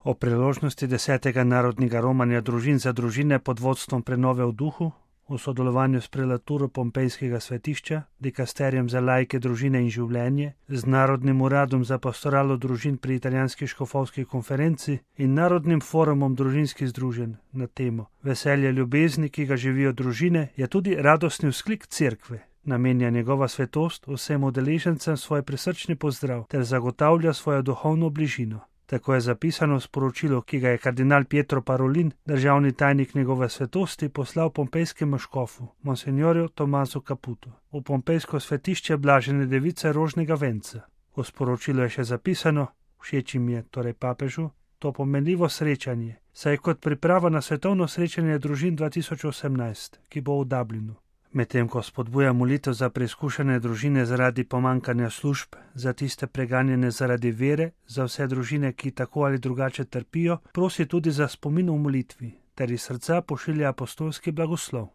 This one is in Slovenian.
O priložnosti 10. narodnega romanja družin za družine pod vodstvom Prenove v duhu, v sodelovanju s prelaturo Pompejskega svetišča, dikasterijem za laike, družine in življenje, z Narodnim uradom za pastoralo družin pri italijanski škofovski konferenci in Narodnim forumom družinskih združenj na temo Veselje ljubezni, ki ga živijo družine, je tudi radostni vzklik cerkve. Namenja njegova svetost vsem udeležencem svoj prisrčni pozdrav ter zagotavlja svojo duhovno bližino. Tako je zapisano v sporočilu, ki ga je kardinal Pietro Parolin, državni tajnik njegove svetosti, poslal pompejskemu škofu, monsignorju Tomasu Caputu, v pompejsko svetišče Blažene device Rožnega venca. V sporočilu je še zapisano: všeč jim je, torej papežu, to pomenljivo srečanje, saj je kot priprava na svetovno srečanje družin 2018, ki bo v Dublinu. Medtem ko spodbuja molitev za preizkušene družine zaradi pomanjkanja služb, za tiste preganjene zaradi vere, za vse družine, ki tako ali drugače trpijo, prosi tudi za spomin v molitvi, ter iz srca pošilja apostolski blagoslov.